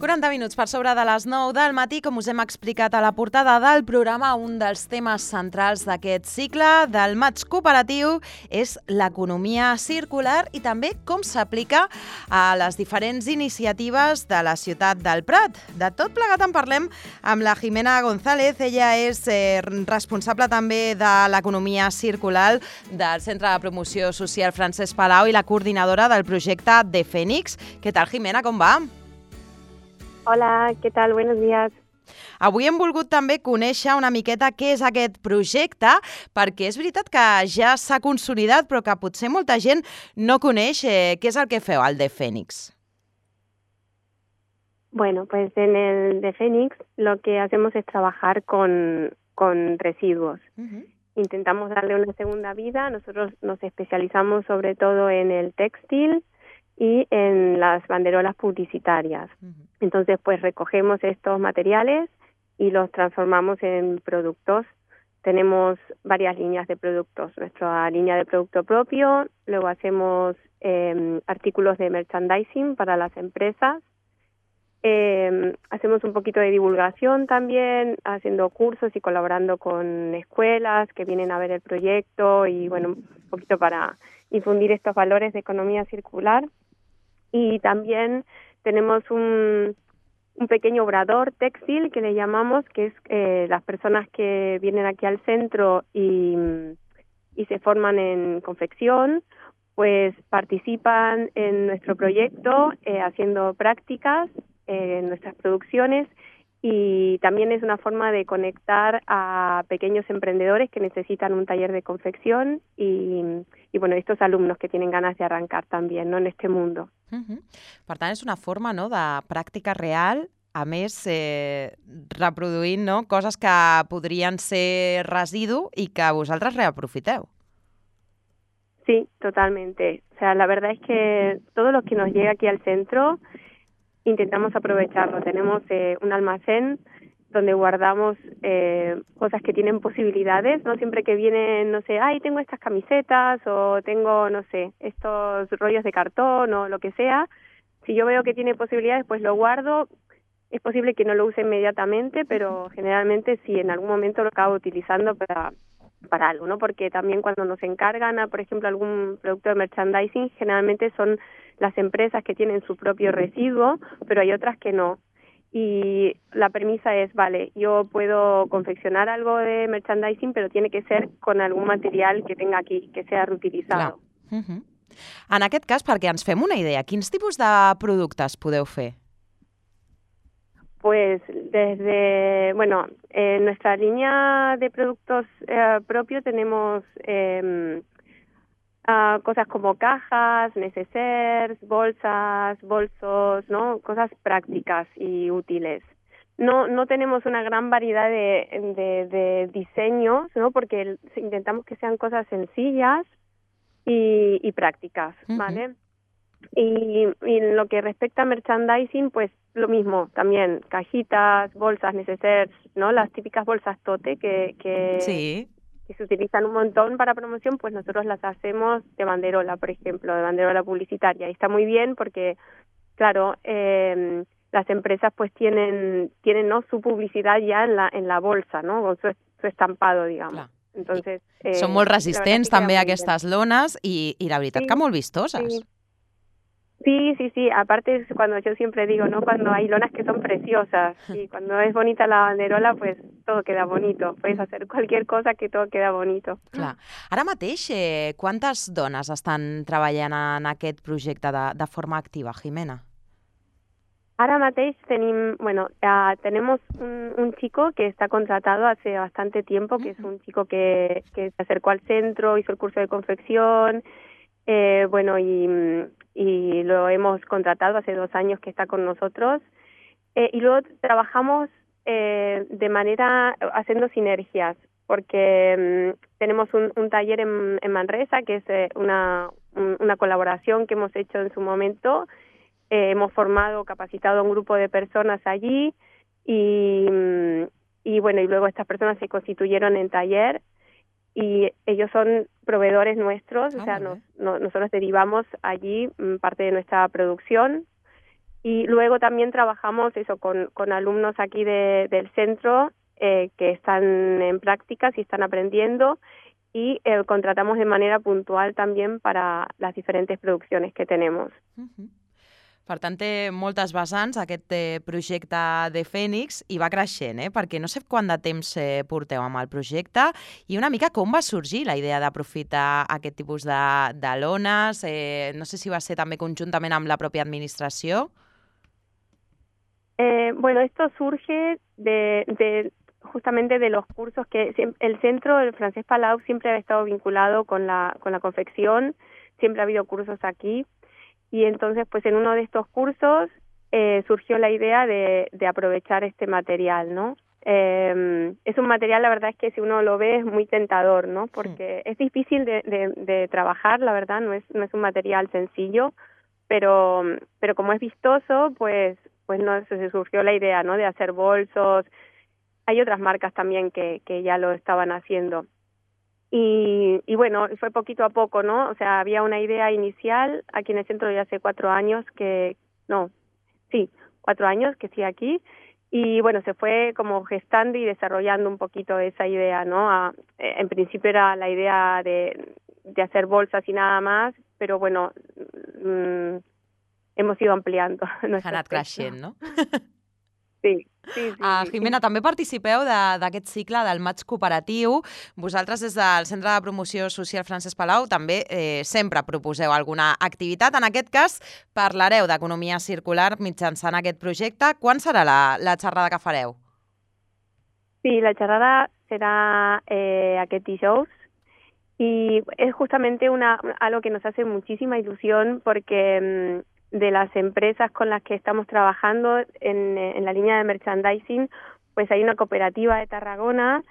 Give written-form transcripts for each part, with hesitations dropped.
40 minuts per sobre de les 9 del matí, com us hem explicat a la portada del programa, un dels temes centrals d'aquest cicle del Maig Cooperatiu és l'economia circular i també com s'aplica a les diferents iniciatives de la ciutat del Prat. De tot plegat en parlem amb la Jimena González. Ella és responsable també de l'economia circular del Centre de Promoció Social Francesc Palau i la coordinadora del projecte de Fènix. Què tal, Jimena? Com va? Hola, ¿qué tal? Buenos días. Avui hem volgut també conèixer una miqueta què és aquest projecte, perquè és veritat que ja s'ha consolidat, però que potser molta gent no coneix què és el que feu al de Fènix. Bueno, pues en el de Fènix lo que hacemos es trabajar con residuos. Intentamos darle una segunda vida. Nosotros nos especializamos sobre todo en el textil y en las banderolas publicitarias. Entonces, pues recogemos estos materiales y los transformamos en productos. Tenemos varias líneas de productos. Nuestra línea de producto propio, luego hacemos artículos de merchandising para las empresas. Hacemos un poquito de divulgación también, haciendo cursos y colaborando con escuelas que vienen a ver el proyecto y, bueno, un poquito para difundir estos valores de economía circular. Y también tenemos un pequeño obrador textil que le llamamos, que es las personas que vienen aquí al centro y se forman en confección, pues participan en nuestro proyecto haciendo prácticas en nuestras producciones, y también es una forma de conectar a pequeños emprendedores que necesitan un taller de confección y bueno, estos alumnos que tienen ganas de arrancar también, ¿no?, en este mundo. Per tant, és una forma, no?, de pràctica real, a més reproduint, no?, coses que podrien ser residu i que vosaltres reaprofiteu. Sí, totalmente. O sea, la verdad es que todo lo que nos llega aquí al centro intentamos aprovecharlo. Tenemos un almacén donde guardamos cosas que tienen posibilidades, ¿no? Siempre que vienen, no sé, ay, tengo estas camisetas o tengo, no sé, estos rollos de cartón o lo que sea, si yo veo que tiene posibilidades, pues lo guardo. Es posible que no lo use inmediatamente, pero generalmente sí, en algún momento lo acabo utilizando para algo, ¿no? Porque también cuando nos encargan, por ejemplo, algún producto de merchandising, generalmente son las empresas que tienen su propio residuo, pero hay otras que no. Y la premisa es, vale, yo puedo confeccionar algo de merchandising, pero tiene que ser con algún material que tenga aquí, que sea reutilizado. En aquest cas, perquè ens fem una idea, quins tipus de productes podeu fer? Pues desde, bueno, en nuestra línea de productos propio tenemos cosas como cajas, neceseres, bolsas, bolsos, ¿no? Cosas prácticas y útiles. No tenemos una gran variedad de diseños, ¿no? Porque intentamos que sean cosas sencillas y prácticas, ¿vale? Y en lo que respecta a merchandising, pues lo mismo, también cajitas, bolsas, neceseres, ¿no? Las típicas bolsas tote que se utilizan un montón para promoción, pues nosotros las hacemos de banderola, por ejemplo, de banderola publicitaria. Y está muy bien porque, claro, las empresas pues tienen ¿no?, su publicidad ya en la bolsa, ¿no?, con su estampado, digamos. Clar. Entonces, són molt resistents també aquestes lones i la veritat que molt vistoses. Sí. Aparte es cuando yo siempre digo, ¿no?, cuando hay lonas que son preciosas y cuando es bonita la banderola, pues todo queda bonito. Puedes hacer cualquier cosa que todo queda bonito. Clar. Ara mateix, quantes dones estan treballant en aquest projecte de forma activa, Jimena? Ara mateix tenemos un chico que está contratado hace bastante tiempo, que es un chico que se acercó al centro, hizo el curso de confección, y lo hemos contratado hace 2 años que está con nosotros. Y luego trabajamos de manera haciendo sinergias, porque tenemos un taller en Manresa, que es una colaboración que hemos hecho en su momento. Hemos formado, capacitado a un grupo de personas allí y luego estas personas se constituyeron en taller y ellos son proveedores nuestros, o sea, nosotros derivamos allí parte de nuestra producción Y luego también trabajamos eso con alumnos aquí del centro que están en prácticas y están aprendiendo, y contratamos de manera puntual también para las diferentes producciones que tenemos. Per tant, té moltes vessants aquest projecte de Fènix i va creixent, perquè no sé quant de temps porteu amb el projecte i una mica com va sorgir la idea d'aprofitar aquest tipus de lones. No sé si va ser també conjuntament amb la pròpia administració. Bueno, esto surge justamente de los cursos que el centro del Francesc Palau siempre ha estado vinculado con la confección, siempre ha habido cursos aquí. Y entonces, pues en uno de estos cursos surgió la idea de aprovechar este material, ¿no? Es un material, la verdad es que si uno lo ve es muy tentador, ¿no? Porque es difícil de trabajar, la verdad, no es un material sencillo, pero como es vistoso, pues no se surgió la idea, ¿no? De hacer bolsos. Hay otras marcas también que ya lo estaban haciendo. Y bueno, fue poquito a poco, ¿no? O sea, había una idea inicial aquí en el centro ya hace 4 años 4 años que sí aquí, y bueno, se fue como gestando y desarrollando un poquito esa idea, ¿no? En principio era la idea de hacer bolsas y nada más, pero bueno, hemos ido ampliando. Ha anat creixent, no? Sí. Jimena, també participeu d'aquest cicle del maig cooperatiu. Vosaltres, des del Centre de Promoció Social Francesc Palau, també sempre proposeu alguna activitat. En aquest cas, parlareu d'economia circular mitjançant aquest projecte. Quan serà la xerrada que fareu? Sí, la xerrada será aquest dijous, y es justamente algo que nos hace muchísima ilusión porque de las empresas con las que estamos trabajando en la línea de merchandising, pues hay una cooperativa de Tarragona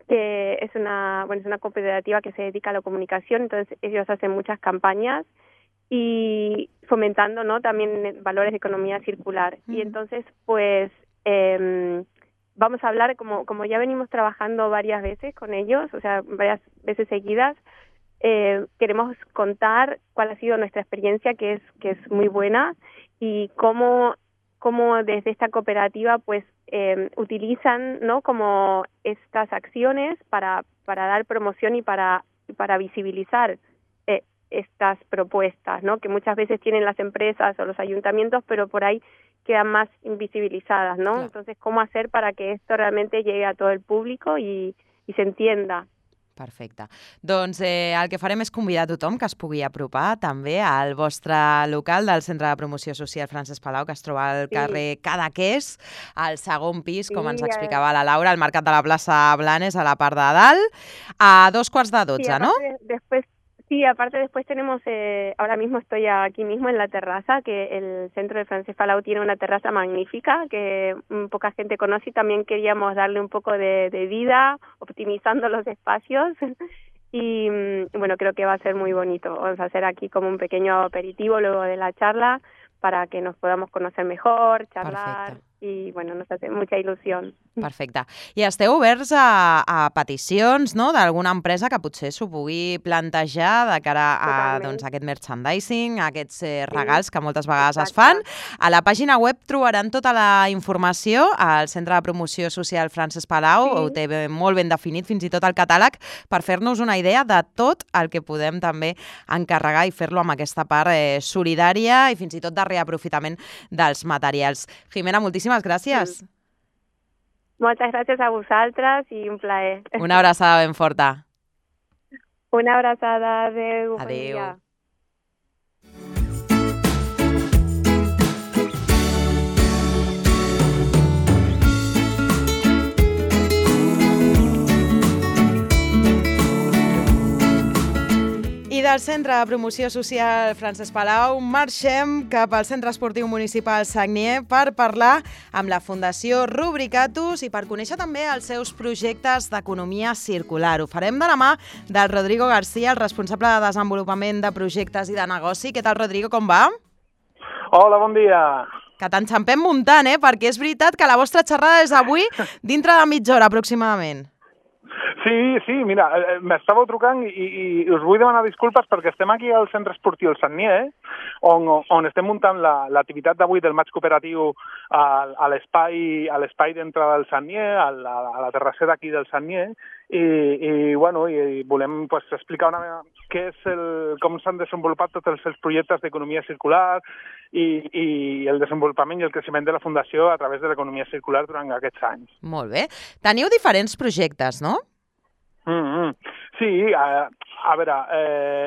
que es una cooperativa que se dedica a la comunicación, entonces ellos hacen muchas campañas y fomentando, ¿no?, también valores de economía circular. Y entonces, pues vamos a hablar, como ya venimos trabajando varias veces con ellos, o sea, varias veces seguidas, queremos contar cuál ha sido nuestra experiencia, que es muy buena, y cómo desde esta cooperativa pues utilizan, ¿no?, como estas acciones para dar promoción y para visibilizar estas propuestas, ¿no?, que muchas veces tienen las empresas o los ayuntamientos, pero por ahí quedan más invisibilizadas, ¿no? Claro. Entonces, ¿cómo hacer para que esto realmente llegue a todo el público y se entienda? Perfecte. Doncs el que farem és convidar a tothom que es pugui apropar també al vostre local del Centre de Promoció Social Francesc Palau, que es troba al carrer Cadaqués, al segon pis, com ens explicava la Laura, al Mercat de la plaça Blanes, a la part de dalt, a 11:45, ¿no? Aparte después tenemos, ahora mismo estoy aquí mismo en la terraza, que el Centro de Francesc Palau tiene una terraza magnífica que poca gente conoce, y también queríamos darle un poco de vida, optimizando los espacios, y bueno, creo que va a ser muy bonito. Vamos a hacer aquí como un pequeño aperitivo luego de la charla para que nos podamos conocer mejor, charlar. Perfecte. I bueno, nos hace mucha il·lusió. Perfecte. I esteu oberts a peticions, no?, d'alguna empresa que potser s'ho pugui plantejar de cara a aquest merchandising, a aquests regals que moltes vegades es fan. A la pàgina web trobaran tota la informació. Al Centre de Promoció Social Francesc Palau ho té molt ben definit, fins i tot el catàleg, per fer-nos una idea de tot el que podem també encarregar i fer-lo amb aquesta part solidària i fins i tot de reaprofitament dels materials. Jimena, moltíssimes gràcies. Moltes gràcies a vosaltres i un plaer. Una abraçada ben forta. Una abraçada. Adéu. Adéu. I del Centre de Promoció Social Francesc Palau marxem cap al Centre Esportiu Municipal Sagnier per parlar amb la Fundació Rubricatus i per conèixer també els seus projectes d'economia circular. Ho farem de la mà del Rodrigo García, el responsable de desenvolupament de projectes i de negoci. Què tal, Rodrigo, com va? Hola, bon dia. Que t'enxampem muntant, perquè és veritat que la vostra xerrada és avui dintre de mitja hora aproximadament. Sí, mira, m'estàveu trucant i us vull demanar disculpes perquè estem aquí al centre esportiu El Sagnier, on estem muntant l'activitat d'avui del maig cooperatiu a l'espai d'entrada del Sagnier, a la terrassera aquí del Sagnier, i volem explicar com s'han desenvolupat tots els projectes d'economia circular i el desenvolupament i el creixement de la Fundació a través de l'economia circular durant aquests anys. Molt bé. Teniu diferents projectes, no? Sí, a veure,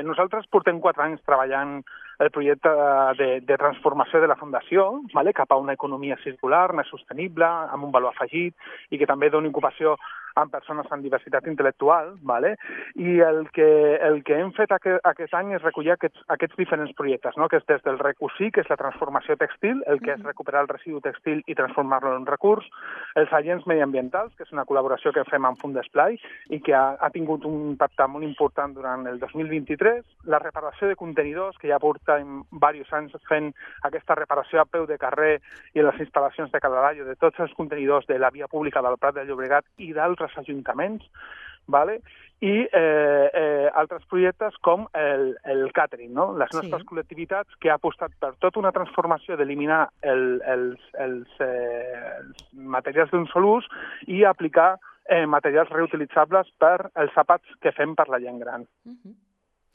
nosaltres portem 4 anys treballant el projecte de transformació de la Fundació cap a una economia circular, més sostenible, amb un valor afegit i que també doni ocupació amb persones amb diversitat intel·lectual, i el que hem fet aquest any és recollir aquests diferents projectes, que és des del RECUSI, que és la transformació textil, el que és recuperar el residu textil i transformar-lo en un recurs, els agents mediambientals, que és una col·laboració que fem amb Fundesplai i que ha tingut un impacte molt important durant el 2023, la reparació de contenidors, que ja portem diversos anys fent aquesta reparació a peu de carrer i en les instal·lacions de Cadarayo de tots els contenidors de la via pública del Prat de Llobregat i d'altres ajuntaments, i altres projectes com el catering, les nostres col·lectivitats que ha apostat per tota una transformació d'eliminar els materials d'un sol ús i aplicar materials reutilitzables per els àpats que fem per la gent gran.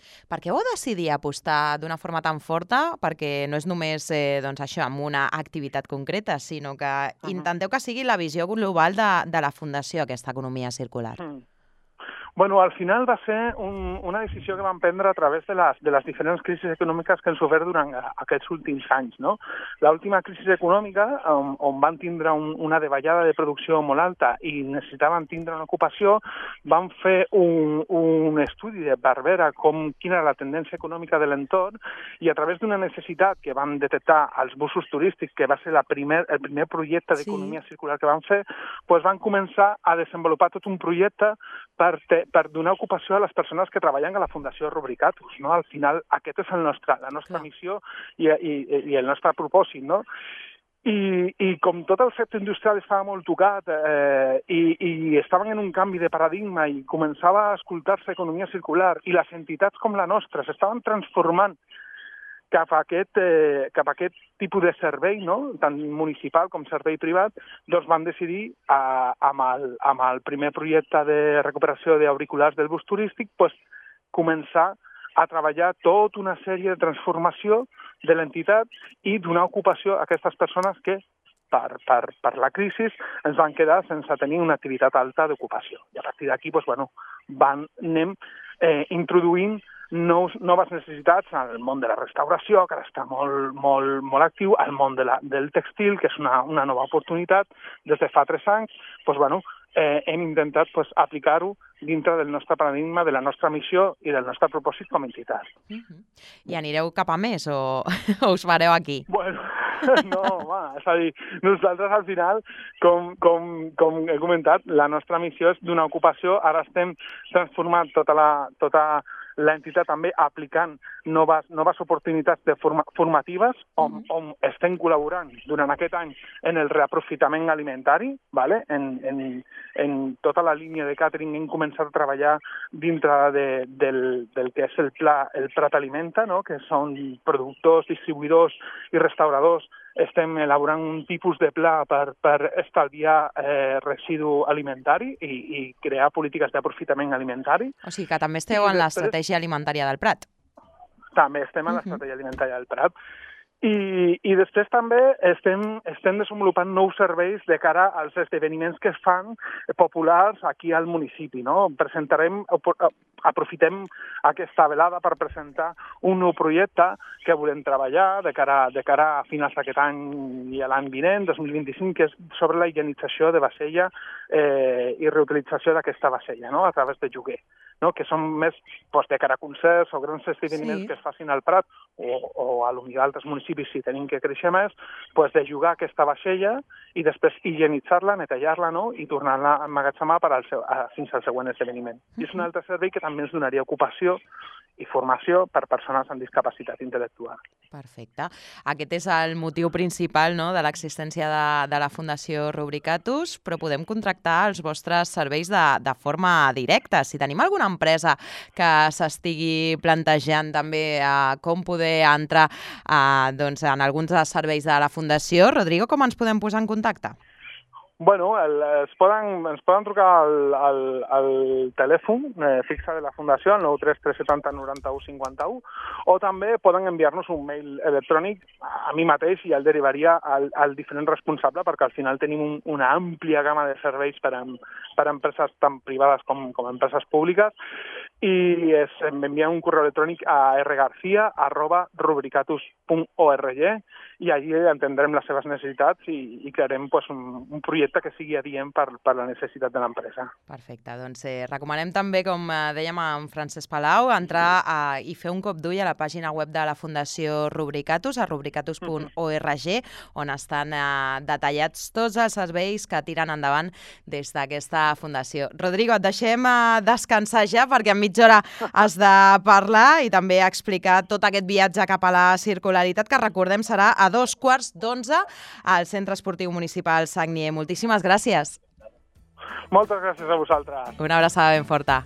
Per què vau decidir apostar d'una forma tan forta? Perquè no és només això, amb una activitat concreta, sinó que intenteu que sigui la visió global de la Fundació, aquesta economia circular. Bueno, al final va ser una decisió que vam prendre a través de les diferents crisis econòmiques que han sofert durant aquests últims anys, no? L'última crisi econòmica, on van tindre una davallada de producció molt alta i necessitaven tindre una ocupació, van fer un estudi per veure quina era la tendència econòmica de l'entorn i a través d'una necessitat que vam detectar als busos turístics, que va ser el primer projecte d'economia circular que vam fer, van començar a desenvolupar tot un projecte per donar ocupació a les persones que treballen a la Fundació Rubricatus, no? Al final, aquest és la nostra missió i el nostre propòsit, no? I com tot el sector industrial estava molt tocat i estaven en un canvi de paradigma i començava a escoltar-se economia circular i les entitats com la nostra s'estaven transformant cap a aquest tipus de servei, no? Tant municipal com servei privat, doncs van decidir, amb el primer projecte de recuperació d'auriculars del bus turístic, començar a treballar tota una sèrie de transformació de l'entitat i donar ocupació a aquestes persones que, per la crisi, ens van quedar sense tenir una activitat alta d'ocupació. I a partir d'aquí, anem introduint noves necessitats al món de la restauració, que ara està molt actiu, al món del textil, que és una nova oportunitat. Des de fa 3 anys, hem intentat aplicar-ho dintre del nostre paradigma, de la nostra missió i del nostre propòsit com a entitat. I anireu cap a més o us fareu aquí? Bueno, no, és a dir, nosaltres al final, com he comentat, la nostra missió és donar ocupació. Ara estem transformant tota l'entitat també aplicant noves oportunitats formatives on estem col·laborant durant aquest any en el reaprofitament alimentari, en tota la línia de càtering hem començat a treballar dintre del que és el Prat Alimenta, que són productors, distribuïdors i restauradors. Estem elaborant un tipus de pla per estalviar residu alimentari i crear polítiques d'aprofitament alimentari. O sigui que també esteu en l'estratègia alimentària del Prat. També estem en l'estratègia alimentària del Prat. I després també estem desenvolupant nous serveis de cara als esdeveniments que es fan populars aquí al municipi, no? Aprofitem aquesta velada per presentar un nou projecte que volem treballar de cara a finals d'aquest any i a l'any vinent, 2025, que és sobre la higienització de vasella i reutilització d'aquesta vasella, no? A través de lloguer, no? Que són més de cara a concerts o grans esdeveniments que es facin al Prat o a d'altres municipis si tenim que créixer més, de jugar aquesta vaixella i després higienitzar-la, netejar-la, no? I tornar-la a emmagatzemar fins al següent esdeveniment. I és un altre servei que també ens donaria ocupació i formació per persones amb discapacitat intel·lectual. Perfecte. Aquest és el motiu principal, no?, de l'existència de la Fundació Rubricatus, però podem contractar els vostres serveis de forma directa. Si tenim alguna empresa que s'estigui plantejant també com poder entrar doncs, en alguns dels serveis de la Fundació, Rodrigo, com ens podem posar en contacte? Bueno, ens poden trucar al telèfon fixe de la Fundació, al 93370 91 51, o també poden enviar-nos un mail electrònic a mi mateix i el derivaria al diferent responsable, perquè al final tenim una àmplia gamma de serveis per a empreses tant privades com empreses públiques, i m'envien un correu electrònic a rgarcia@rubricatus.org i allí entendrem les seves necessitats i crearem un projecte que sigui adient per la necessitat de l'empresa. Perfecte, doncs recomanem també, com dèiem amb Francesc Palau, entrar i fer un cop d'ull a la pàgina web de la Fundació Rubricatus, a rubricatus.org, on estan detallats tots els serveis que tiren endavant des d'aquesta fundació. Rodrigo, et deixem descansar ja, perquè en mitja hora has de parlar i també explicar tot aquest viatge cap a la circularitat, que recordem serà a 11:15 al Centre Esportiu Municipal Sagnier. Moltíssimes gràcies. Moltes gràcies a vosaltres. Una abraçada ben forta.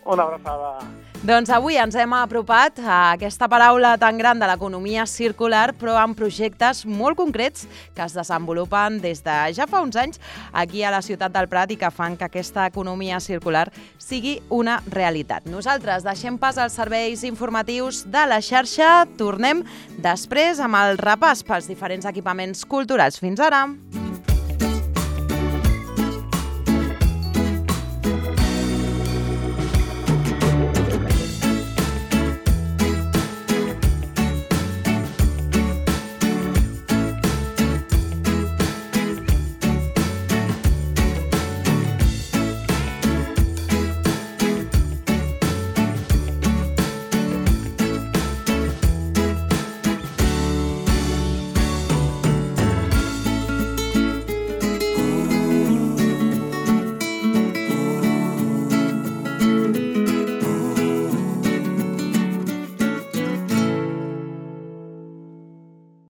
Una abraçada. Doncs avui ens hem apropat a aquesta paraula tan gran de l'economia circular, però amb projectes molt concrets que es desenvolupen des de ja fa uns anys aquí a la ciutat del Prat i que fan que aquesta economia circular sigui una realitat. Nosaltres deixem pas als serveis informatius de la xarxa. Tornem després amb el repàs pels diferents equipaments culturals. Fins ara!